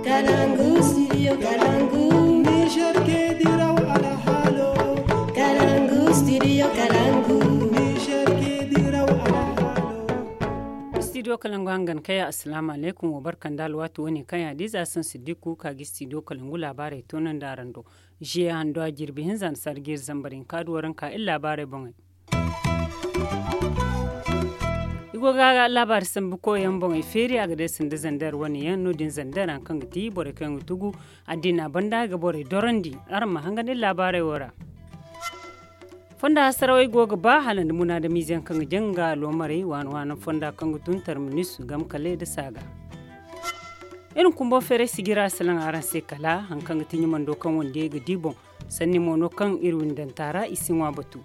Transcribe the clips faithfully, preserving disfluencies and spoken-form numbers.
Kalangu, studio Kalangu. Niger ke diraw alhalo. Kalangu, studio Kalangu. Niger ke diraw alhalo. Studio Kalangu hangan kaya, assalamu alaikum, wa barkan da alwati wani kaya diza san siddiku ka gi studio Kalangu labarai tonan da rando. Jiya hando a jirbi hinza na sargir zambarin kaduwaran ka illa labarai bongai. I go ga labaari sambu koyaŋ boŋ i feeri a ga day sanda zandar wane yaŋ no- din zandar hari kaŋ ga ti borey kaŋ ga tugu addina banda ga borey dorandi. Araŋ ma hangan iri laabaarey wo ra. Fonda hasarawey go ga ba hala nda munaadamiize yaŋ kaŋ ga jaŋ ga aloomarey waana waana fonda kaŋ ga tun tarminis gam kale nda saaga. Iri na kumbo feeray sijira salaŋ araŋ se kala hari kaŋ ga ti ɲumando kaŋ wande ga di boŋ. Sanni mo no kaŋ iri windanta ra i si ŋwa batu.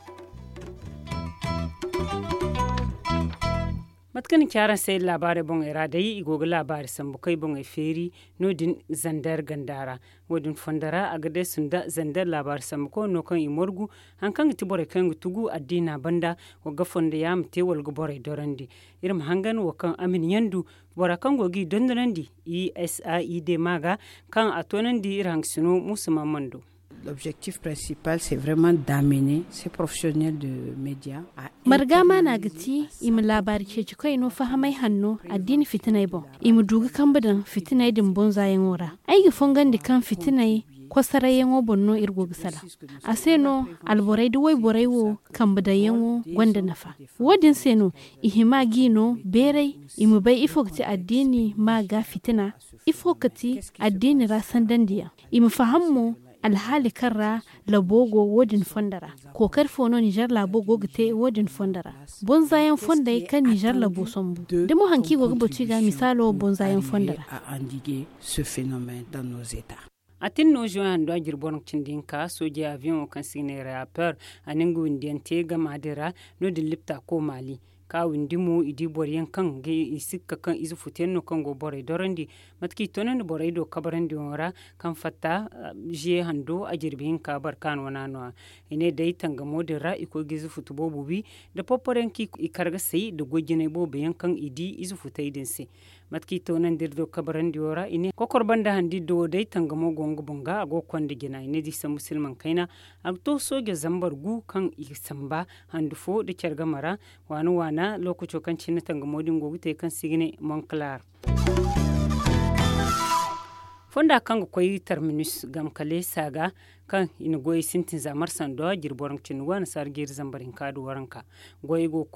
Mate kaŋ ni ci araŋ se iri laabaarey boŋey ra day i go ga laabaari sambu kay boŋey feeri. No- din zandar ganda ra. Wo- din fondo ra a ga deesu nda zandar laabaari sambu koy no kaŋ i morgu hari kaŋ ga ti borey kaŋ ga tugu addiina banda. Wa ga fondo yaama te wala ga borey dorandi. Iri ma hangan wo kaŋ a ma ni yandu bora kaŋ go ga i dondonandi i s a i d ma ga kaŋ a toonandi iri haŋgasino muusa maamando. L'objectif principal c'est vraiment d'amener ces professionnels de média à marga maana ga ti i ma laabaari ceeci koy no fahamay hanno addiini fitinay boŋ. I ma du ga kambe daŋ fitinay din bonzayaŋo ra. Ay ga fongandi kaŋ fitinay kosarayyaŋo boŋ no iri go ga salaŋ. A se no alborey da wayborey wo kambe daŋyaŋo gonda nafa. Wo- din se no i hima g'i no beeray i ma bay ifo ga ti addiini ma ga fitina, ifo ga ti addiini ra sandandiyaŋ. I ma faham mo alhaali kaŋ ra labo go wo- din fondo ra. Kookari fo no nizer laabo go ga te wo- din fondo ra. Bonzayaŋ fondey kaŋ nizer labo sambu da mo hari kaŋ i go ga batu i ga misaalo bonzayaŋ fondo ra. A tin no zoyaŋ do a jirbi boro cindi hinka soojey aviyoŋo kaŋ se i ga ne reaper a na nga windiyaŋ te gama din ra. No- din lipta ko maali ka windi mo i di boro yaŋ kaŋ ga i sikka kaŋ ize futu yaŋ no kaŋ go borey dorandi. Mate kaŋ i toonandi borey do kabarandiyaŋo ra kaŋ fatta ziye hando a jirbi hinka barkaano wana no- ya. I ne day tangamo din ra i koy ga ize futu boobo wi nda porporo yaŋ kaŋ i kar ga say nda goy jinay boobo yaŋ kaŋ i di ize futey din se. Mate kaŋ i toonandi iri do kabarandiyo ra i ne kokor banda handi do day tangamo go nga boŋ ga a go ga konda jina i ne da i sambu silmaŋ kayna. A ga to soojo zambar gu kaŋ i ga samba handu fo nda care game ra. Waana waana lookaco kaŋ cine tangamo din go ga te kaŋ se i ga ne monklar. Fonda kaŋ ga koy tarminus gamkale saaga kaŋ i na goyey sintin za marsa nda jirbi waranka cindi waana saara jeeri zambar hinka nda waranka. Goyey go ga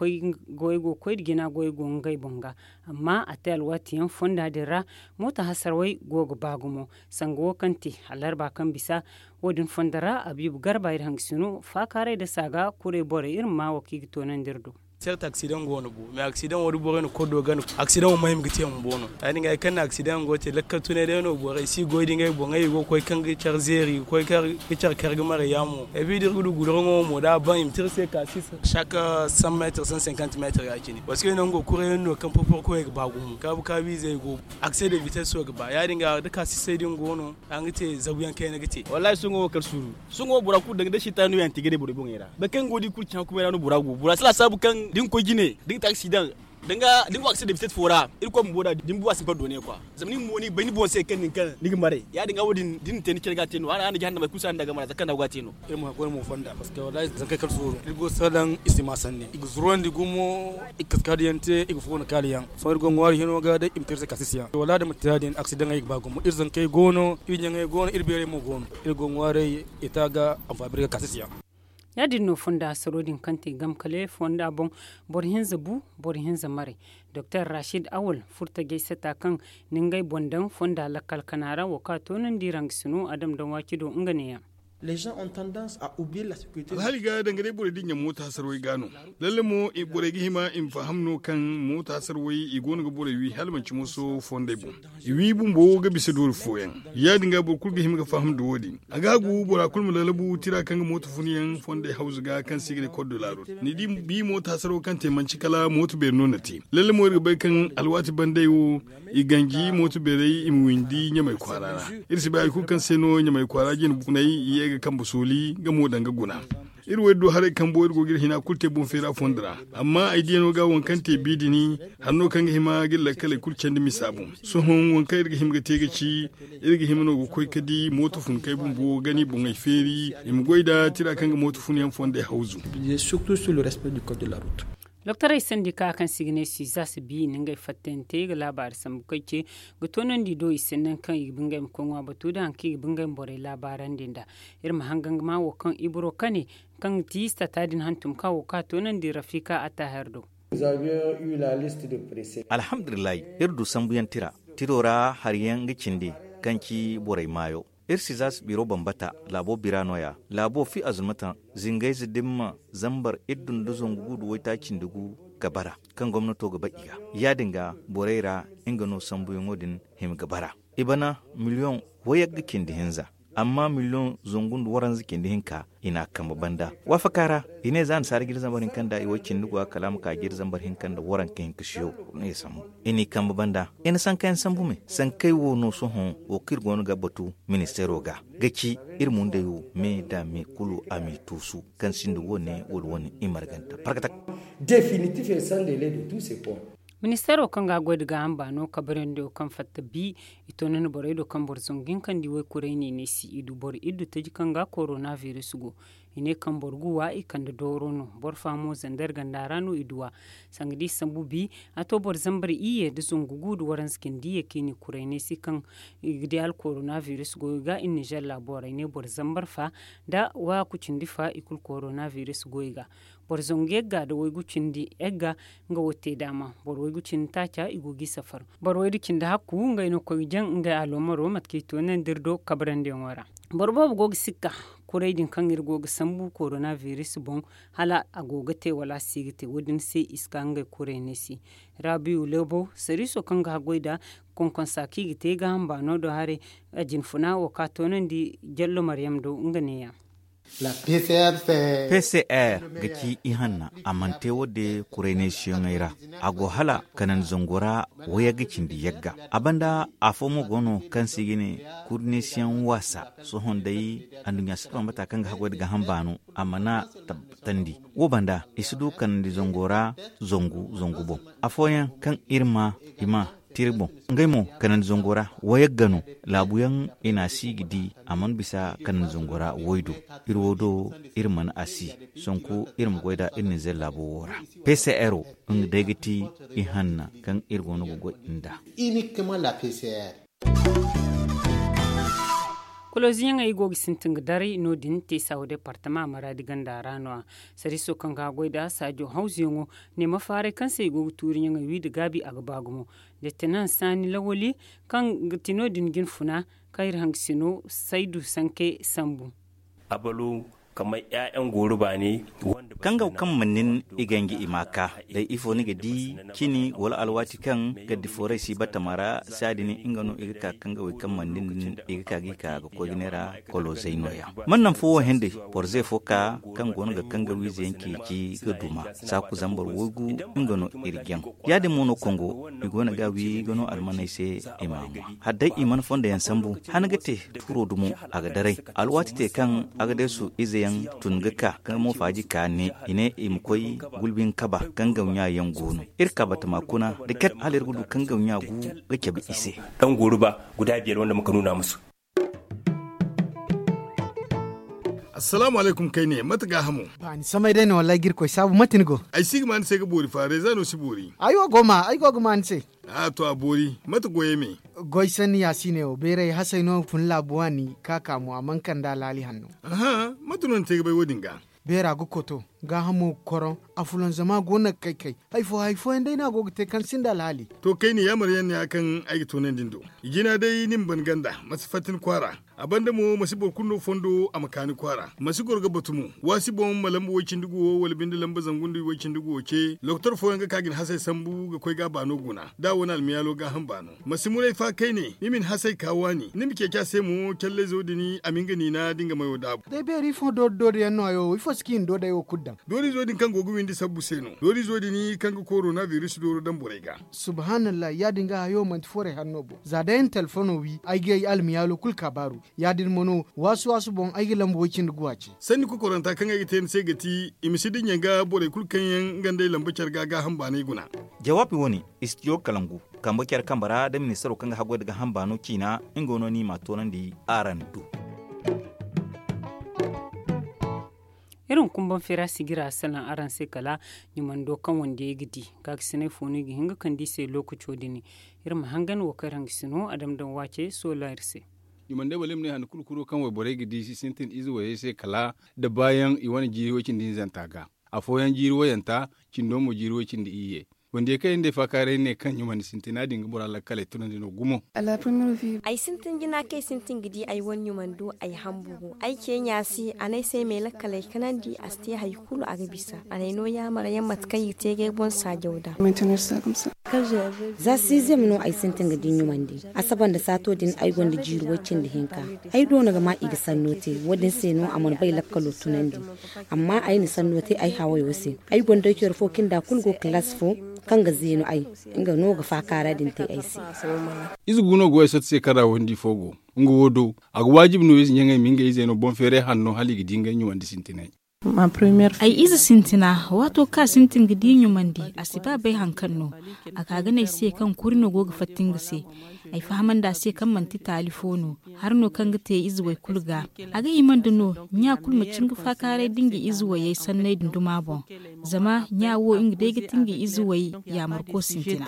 koy nda jina goyey go ngey boŋ ga. Amma a te alwaati yaŋ fonda din ra moota hasarawey go ga ba gumo. Sanga wo kaŋ te alarba kaŋ bisa wo- din fondo ra abiibu garba iri hangasino faakaaray nda saaga kuray borey iri ma maa wo kaŋ i ga toonandi iri do. Sert aksidaŋ go no bo mais aksidaŋ wo da borey na kodo gana aksidaŋ wo mahim ga te bumbo no. Ya- din ga hari kaŋ na aksidaŋ go ga te lakkal tunay day no borey si goy da ngey boŋey i go ga koy kaŋ ga care zeeri ga koy ga care kar ga maray yaamo ebi da iri ga du guduraŋo mo da a ban i ma te iri se ka sisa chaque cent mètres cent cinquante mètres ya- cine parce que nango kuray yaŋ no kaŋ porporo koyey ga ba gumo kaabu kaabu izey go aksida vitesse wo ga ba ya- din ga da ka sisay din go no. A ga te zabu yaŋ kayna ga te wallahi sohõ wo kar suuru. Sohõ wo bora kulu danga day sitaanu yaŋ te ga day borey boŋey ra boro kaŋ go da i kulu caŋ kumay ra no bora go bora si laasaabu kaŋ da ni koy jine da ni ga te aksidaŋ da ni go aksidaŋ da bitet fo ra irkoy bumbo da da ni bu a si ni par doone kwa. Zama ni bumbo ni ga bay ni boŋ se kaŋ nin kaŋ ni ga maray ya- din ga wo- din da ni na te ni care ga a te no a na jahannamey kulu se a na daŋ game ra za kaŋ da go ga a te no. Iri ma goy mo fonda parce que wallahi zankey kar suuru iri go ga salaŋ i si ma sanni i ga zurandi gumo. I ga kaskadiyaŋ te i ga fo na kaaliyaŋ. Sohõ iri go ga ŋwaari hino ga day i ma te iri se ka sisiyaŋ wala da manti ya- din aksidaŋey ga ba gumo iri zankey go no iri ɲaŋey go no iri beerey mo go no. Iri go ga ŋwaaray ita ga anfaabir ga ka sisiyaŋ. Ya- din no fonda hasaro din kaŋ te gamkale fonda boŋ. Boro hinza bu boro hinza maray. Doktor rashid awal furtajey sata kaŋ na ngey boŋ daŋ fonda lakkal kana ra wo kaŋ a toonandi rangasino a dam daŋ waaci do nga neeyaŋ. Alhaali ga danga day borey dinya mooto hasarwey ga no. Lalle mo borey ga hima i ma faham no kaŋ mooto hasarwey i go no ga borey wi hala manci mooso fondey boŋ. I wi bumbo ga bisa doori fooyaŋ. Ya- din ga boro kulu ga hima ga faham nda wo- din a ga hagu bora kulu ma lalabu tira kaŋ ga mooto fun yaŋ fondey hawzu ga kaŋ se i ga ne kordolaaro. Ni di bi mooto hasaro kaŋ te manci kala mooto beeri no na te. Lalle mo iri ga bay kaŋ alwaati bandey wo i ganji mooto beerey i ma windi ɲamay kwaara ra. Iri si bay hari kulu kaŋ se no ɲamay kwaara jine bunay i ye ga kambe sooli nga mo danga guna. Iri wo iri du haray kambo iri go ga iri hina kulu te boŋ feera fondo ra. Amma ay diyano ga waŋ kaŋ te bi din hari no kaŋ ga hima ga iri lakkaley kulu candi misa boŋ. Sohõ waŋ kaŋ iri ga hima ga te ga ci, iri ga hima no ga koy ga di mooto funkey bumbo ga ni boŋey feeri i ma goy nda tira kaŋ ga mooto funyaŋ fondey hawzu. Doktorey sandi ka kaŋ se i ga ne sizas bi i na ngey fattante ga laabaari sambu kaŋ ce ga toonandi do i se nangu kaŋ i ga ba ngey ma koy ŋwa batu nda hari kaŋ i ga ba ngey ma borey laabaarandi nd'a. Iri ma hangan ga ma wo kaŋ ibro kane kaŋ ga ti sata din hantum ka wo ka toonandi rafika a taahir do. Alhamdulillahi, iri du sambuyaŋ tira. Tiro ra hari yaŋ ga cindi kaŋ ci borey maayo. Iri si za si biro bambata laabo bira no- ya. Laabo fi azulmataŋ zingayze dimma zambar iddu nda zangu gu nda waytaaci nda gu ga bara kaŋ gomnato ga bay i ga. Ya- din ga borey ra nga no sambuyaŋo din hima ga bara. I bana miliyoŋ wayagga cindi hinza. Amma miliyoŋ zangu nda waranza cindi hinka i n'a kambe banda waafaka ra. I ne za nasaara jiri zambar hinka nda i way cindi go a kala a ma ka jiri zambar hinka nda waranka hinka siyo. I n'i kambe banda i na sankayaŋ sambu me. Sankey wo no sohõ wo kaŋ iri go no ga batu ministeero ga ga ci iri mundey wo me nda me kulu a m'i tuusu kaŋ sinda wo- ne wala wo- ne i marganta parkatak. Definitif et sans dele de tous ces points. Ministeero kaŋ ga a goy nda gaaham baano kabrandi wo kaŋ fatta bi i toonandi borey do kaŋ boro zangu hinka nda i waykuray ne ne si i du boro iddu taji kaŋ ga korona biris go. I ne kaŋ boro gu wa i kande dooro no. Boro fa mo zandar ganda ra no i du a. Sanga da i sambu bi a to boro zambar iyye nda zangu gu nda waranza cindi iyye kaŋ i n'i kuray ne si kaŋ i ga di hala korona biris goyo ga i nizer laabo ra i ne boro zambar fa nda waaku cindi fa i kulu korona biris goyo ga. Boro zangu yagga nda waygu cindi yagga nga wo te daama. Boro waygu cindi taaca i go g'i safar. Boro waydu cindi hakku ngey no koy ga jaŋ ngey aloomaro mate kaŋ i toonandi iri do kabrandiyaŋo ra. Boro boobo go ga sikka kuray din kaŋ iri go ga sambu korona biris boŋ, hala a go ga te wala a si ga te wo- din se i si ka ngey kuray ne se. Rabiyu lebo sariiso kaŋ ga haggoy nda konkonsa kaŋ i ga te gaaham baano do haray. A jinfuna wo ka toonandi jallo maryam do nga neeya. P C R ga ci ihanna a mana te wo- din kuraynaysiyaŋey ra. A go hala kanandi zango ra wayagga cindi yagga. A banda afo mo go no kaŋ se i ga ne kuraynaysiyaŋ waasa. Sohõ day anduɲɲa si bambata kaŋ ga haggoy nda gaaham baano a mana tabbatandi. Wo banda i si du kanandi zango ra zangu zangu boŋ. Afooyaŋ kaŋ iri ma i ma tira boŋ. Ngey mo kanandi zango ra wayagga no. Laabuyaŋ i n'a si ga di a mana bisa kanandi zango ra waydu. Iri wo do iri mana a si. Sanku iri ma goy nd'a iri nizer laabo wo ra. P C R wo nga day ga ti ihanna kaŋ iri go no ga goy nd'a. Koloziyaŋey go ga sintin ga daray no- din te saawa departama maraadi ganda ra no- ya. Sariiso kaŋ ga a goy nd'a saajo hawzuyaŋo ne mafaaray kaŋ se i go ga tuuriyaŋey wi nda gaabi a ga ba gumo. Letenan saani lawali kaŋ ga ti no- din jinfuna kaŋ iri hangasino saydu sanke sambu. Kaŋ ga kaŋ mana nin i ganji i ma ka day ifo ni ga di cini wala alwaati kaŋ gaddi fooray si batama ra saadi nin nga no i ga ka kaŋ ga way kaŋ mana nin i ga ka ga i ka ga koy ga neera kolozey no- ya. Mana naŋ fo wo henday boro ze fo ka kaŋ go no ga kaŋ ga wiize yaŋ ceeci ga duma saaku zambar waygu nga no iri jaŋ. Ya- din mo no kongo i go no ga wi ga no almaney se i ma ŋwa. Hala day i mana fondo yaŋ sambu han ga te tuuro dumo a ga daray. Alwaati te kaŋ agadeesu ize yaŋ tun ga ka kaŋ mo faaji ka ne i ne i ma koy gulbi nga kaba kaŋ gawɲa yaŋ go no. Iri ka batama kuna da ket hala iri ga du kaŋ gawɲa gu ga cabe i se. Dangooru ba guda biyar wanda muka nuna musu. Assalaamu alaykum kayne mate gaahamo? Ba ni samay day no wallahi ga irkoy saabu mate ni go? Ay si ga ma ni se ga boori fa reeza no si boori. Ay wo go ma ay go ga ma ni se. A to a boori mate goyey me? Goy sanni ya si ne wo beeray hasey no fun laabu waani ka ka mo a mana kande alhaali hanno. Aha, mate no ni te ga bay wo- din ga? Beera ga koto gaahamo ga koroŋ. Afulanzama go no ga kay kay. Hay fo hay fooyaŋ day no a go ga te kaŋ sinda alhaali. To kayne yaamar yaŋ no ya kaŋ ay ga toonandi ni do. Jina day ni ma ban ganda ma si fatta ni kwaara. A banda mo ma si boro kulu no fondo a ma ka ni kwaara ma si goro ga batu mo. Waasi boŋ ma lamba way-cindi-gu-wo wala binde lamba zangu nda way-cindi-gu-wo ce lokotor fooyaŋ ga ka ga ni hasey sambu ga koy ga a baano guna da a wane almiyaalo gaaham baano. Ma si muray fa kayne ni ma ni hasey ka waani ni ma ceeci a se mo callayzo din a ma nga niina da nga mayo daabu. Day beeri ifo doori doori yaŋ no hayo wo ifo si ka i na doodey wo kulu daŋ? Dooriizo din kaŋ go ga windi sabbu se no dooriizo din kaŋ ga korona biris dooro daŋ borey ga. Subhanallah, ya- din ga hayo manti forey hanno boŋ za day na telefono wi ay ga ay almiyaalo kulu kaabaaru. Ya- din mo no waasu waasu boŋ ay ga lambu way- cindi guwa ce. Sanni kokoranta kaŋ ay ga te ni se ga ti i ma si dinya ga borey kulu kaŋ yaŋ nga nd'ey lamba care ga gaaham baanay guna. Jawaabi wo- ne istijo kalangu kambe care kambe ra da ministaro kaŋ ga haggoy nda gaaham baano ciina. Nga no no i m'a toonandi araŋ do. Iri ma kumbaŋ feera sijira salaŋ araŋ se kala ɲumando kaŋ wandiyey ga di. Gaakasiney fo no i ga hin ga kande i se lookaco din. Iri ma hangan wo kaŋ iri hangasino a dama daŋ waace soola iri se. Ɲumandey wala iri ma ne hande kulu kuro kaŋ wayborey ga di si sintin ize wayey se kala da baayaŋ i wane jiiri way- cindi hinzanta ga. Afooyaŋ jiiri wayanta cindo mo jiiri way- cindi iyye. Wandiyey kaŋ iri nd'ey faakaaray ne kaŋ ɲumandi sintina din ga bora lakkaley tunandi no gumo. Ay sintin jina kaŋ ay sintin ga di ay wane ɲumando ay hamburu ay ceeɲa se a ne ay se ay m'ay lakkaley kanandi a si te hari kulu a ga bisa. A n'ay no yaamar yaŋ mate kaŋ i ga te ga ay boŋ saajaw da. Za siizem no ay sintin ga di ɲumandi. Asaba nda saato din ay gonda jiiri way- cindi hinka. Ay doona ga ma i ga sanno te. Wo- din se no a mana bay lakkalo tunandi. Amma ay na sanno te ay hawayo se. Ay gonda ay care fo kinda kulu go kalaasi fo kaŋ ga zeenu ay. Nga no ga faakaara din te ay se. Ize gu no go ay sotti se kaŋ ra wandi fo go. Nga wo do a ga waajibi no ize ɲaŋey ma ngey izey no boŋ feeray hanno hala i ga di ngey ɲumandi sintinay. Ay ize sintina waato kaŋ a sintin ga di ɲumandi a si ba bay hari kaŋ no. A ka ga ne ay se kaŋ kuri no go ga fatta nga se. Ay fahamandi a se kaŋ manti taali fo no. Hari no kaŋ ga te ize way kulu ga. A ga himandi no ɲa kulu ma cin ga faakaaray da nga ize wayey sanney dunduma boŋ. Zama ɲa wo nga day ga ti nga ize way yaamarko sintina.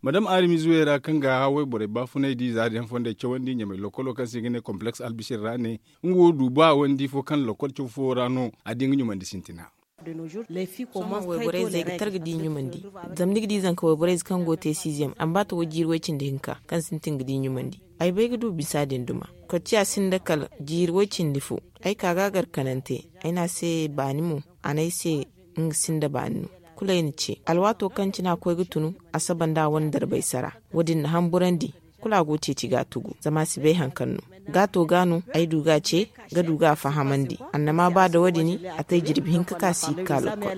Madam aarimize way ra kaŋ ga haway borey baafunay di za da yaŋ fondey cawandi ɲamay lokolo kaŋ se i ga ne kompleks albisir ra ne. Nga wo du ba wandi fo kaŋ lokol caw fo ra no a di nga ɲumandi sintina. Sohõ wayborey zey ga tar ga di ɲumandi. Zama ni ga di zanka wayborey zey kaŋ go ga te siiziyam a ma ba tawo jiiri way- cindi hinka kaŋ sintin ga di ɲumandi. Ay bay ga du bisa din duma. Kocciya sinda kala jiiri way- cindi fo. Ay ka ga a gar kanante. Ay ne a se baani mo. A ne ay se nga sinda baani no. Kulu ay na ce alwaato kaŋ cine a koy ga tunu a saba nda a wane darbay sara. Wo- din na hamburandi. Kulu a go ga ceeci ga a tugu zama a si bay hari kaŋ no. Gaato ga no ay du ga a ce ga du ga a fahamandi. Annama ba da wo- din a te jirbi hinka ka si ga ka lokol.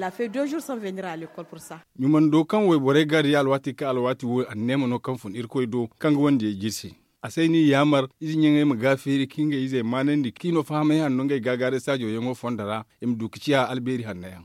Ɲumando kaŋ wayborey ga di alwaati kaŋ alwaati wo anneema no kaŋ fun irkoy do kaŋ ga wandiyey jirsi. A say ni yaamar ize ɲaŋey ma ga feeri ka ngey izey maanandi kaŋ i no fahamay hanno ngey gaagaaray saajo yaŋo fondo ra. I ma du ga ciya albeeri hanno yaŋ.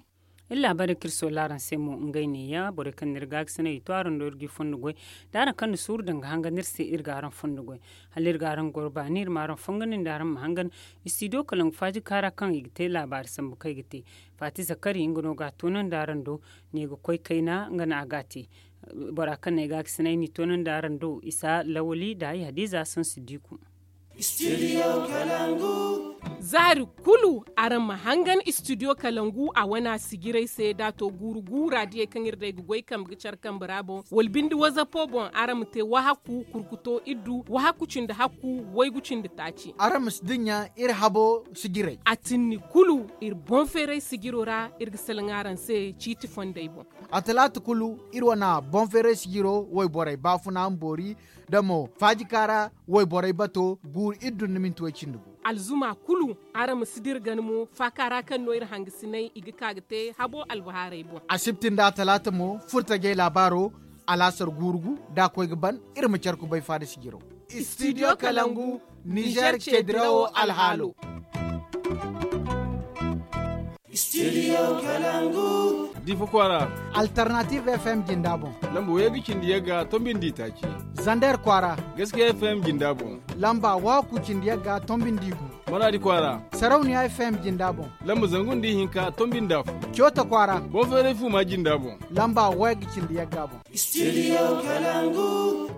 Iri laabaarey kaŋ iri soola araŋ se mo ngey neeya borey kaŋ na iri gaakasinay i to araŋ do iri ga i fondo goy. Da araŋ kaŋ na suuru daŋ ga hangan iri se iri ga araŋ fondo goy. Hala iri ga araŋ goro baani iri ma araŋ fongandi nda araŋ ma hangan. Istidiyo kalangu faaji kaara kaŋ i ga te laabaari sambu kaŋ i ga te. Faati zakari nga no ga a toonandi araŋ do. Ne ga koy kayna nga no a ga a te. Bora kaŋ na ay gaakasinay n'i toonandi araŋ do isa lawali nda ay hadiiza sansi diiku. Zaari kulu araŋ ma hangan istidiyo kalangu a wana sijiray se da a to guuru guura diyey kaŋ iri day ga goy kambe ga care kambe ra boŋ wala binde wazapo boŋ araŋ ma te wahakku kurkuto iddu wahakku cindi hakku waygu cindi taaci. Araŋ ma si dinya iri habo sijiray a tinni kulu. Iri boŋ feeray sijiro ra iri ga salaŋ araŋ se ciiti fondey boŋ. A talaata kulu iri wana boŋ feeray sijiro wayborey baafuna ma boori da mo faajika ra wayborey bato guuru iri dun na minti way cindi gu. Alzuma kulu araŋ ma si dira gana mo faaka ra kaŋ no iri hangasinay i ga ka ga te habo albahaarey boŋ. Asibti nda atalaata mo furtajey laabaaro alaasar guuru gu da a koy ga ban. Iri ma care kubay faada sijiro. Istidiyo kalangu nizer ceedirawo alhaalo. Diifa kwaara. Alternative fm jinda boŋ. Lamba wayga cindi yagga tombindi taaci. Zander kwaara. Gaskiya fm jinda boŋ. Lamba waku cindi yagga tombindi gu. Manaadi kwaara. Sarauniya fm jinda boŋ. Lamba zangu nda ihinka tombinda fu. Coota kwaara. Boŋ feeray fu ma jinda boŋ. Lamba wayga cindi yagga boŋ. Studio kalangu.